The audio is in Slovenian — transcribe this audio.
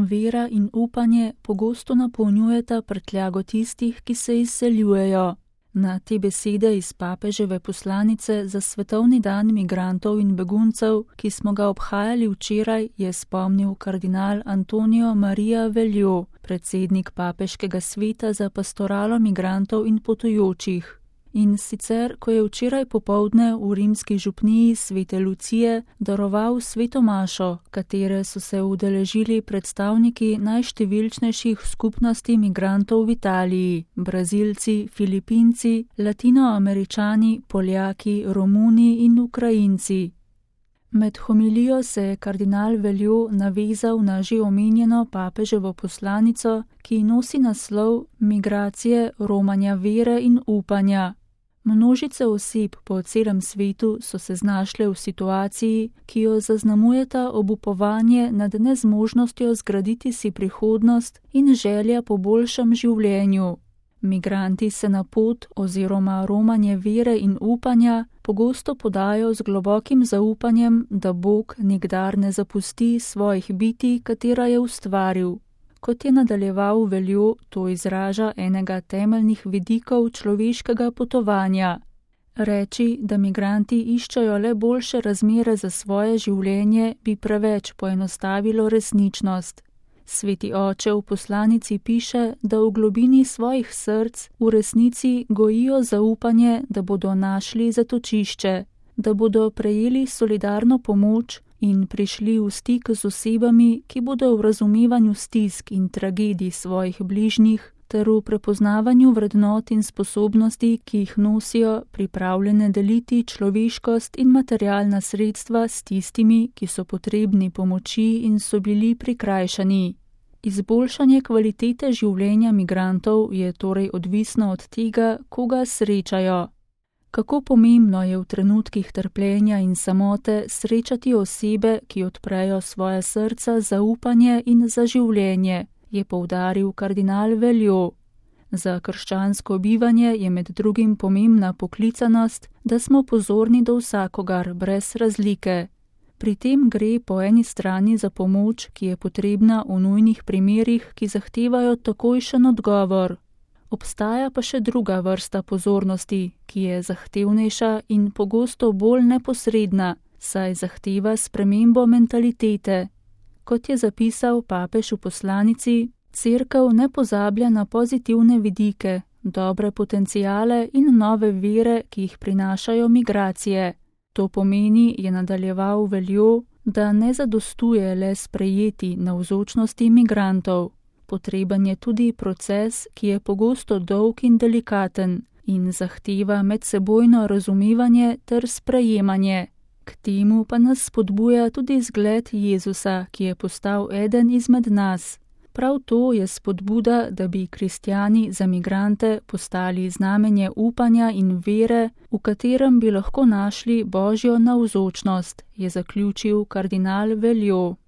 Vera in upanje pogosto napolnjujeta prtljago tistih, ki se izseljujejo. Na te besede iz papeževe poslanice za Svetovni dan migrantov in beguncev, ki smo ga obhajali včeraj, je spomnil kardinal Antonio Maria Veljo, predsednik papeškega sveta za pastoralo migrantov in potujočih. In sicer, ko je včeraj popoldne v rimski župniji Svete Lucije daroval sveto mašo, katere so se udeležili predstavniki najštevilčnejših skupnosti migrantov v Italiji, Brazilci, Filipinci, Latinoameričani, Poljaki, Romuni in Ukrajinci. Med homilijo se je kardinal Veljo navezal na že omenjeno papeževo poslanico, ki nosi naslov Migracije, romanja vere in upanja. Množice oseb po celem svetu so se znašle v situaciji, ki jo zaznamujeta obupovanje nad nezmožnostjo zgraditi si prihodnost in želja po boljšem življenju. Migranti se na pot oziroma romanje vere in upanja pogosto podajo z globokim zaupanjem, da Bog nikdar ne zapusti svojih bitij, katera je ustvaril. Kot je nadaljeval Veljo, to izraža enega temeljnih vidikov človeškega potovanja. Reči, da migranti iščejo le boljše razmere za svoje življenje, bi preveč poenostavilo resničnost. Sveti oče v poslanici piše, da v globini svojih src v resnici gojijo zaupanje, da bodo našli zatočišče, da bodo prejeli solidarno pomoč in prišli v stik z osebami, ki bodo v razumevanju stisk in tragedij svojih bližnjih ter v prepoznavanju vrednot in sposobnosti, ki jih nosijo, pripravljene deliti človeškost in materialna sredstva s tistimi, ki so potrebni pomoči in so bili prikrajšani. Izboljšanje kvalitete življenja migrantov je torej odvisno od tega, koga srečajo. Kako pomembno je v trenutkih trpljenja in samote srečati osebe, ki odprejo svoje srca za upanje in za življenje, je poudaril kardinal Veljo. Za krščansko bivanje je med drugim pomembna poklicanost, da smo pozorni do vsakogar brez razlike. Pri tem gre po eni strani za pomoč, ki je potrebna v nujnih primerih, ki zahtevajo takojšen odgovor. Obstaja pa še druga vrsta pozornosti, ki je zahtevnejša in pogosto bolj neposredna, saj zahteva spremembo mentalitete. Kot je zapisal papež v poslanici, Cerkev ne pozablja na pozitivne vidike, dobre potenciale in nove vere, ki jih prinašajo migracije. To pomeni, je nadaljeval Veljo, da ne zadostuje le sprejeti navzočnosti migrantov. Potreben je tudi proces, ki je pogosto dolg in delikaten in zahteva medsebojno razumevanje ter sprejemanje. K temu pa nas spodbuja tudi zgled Jezusa, ki je postal eden izmed nas. Prav to je spodbuda, da bi kristjani za migrante postali znamenje upanja in vere, v katerem bi lahko našli Božjo navzočnost, je zaključil kardinal Veljo.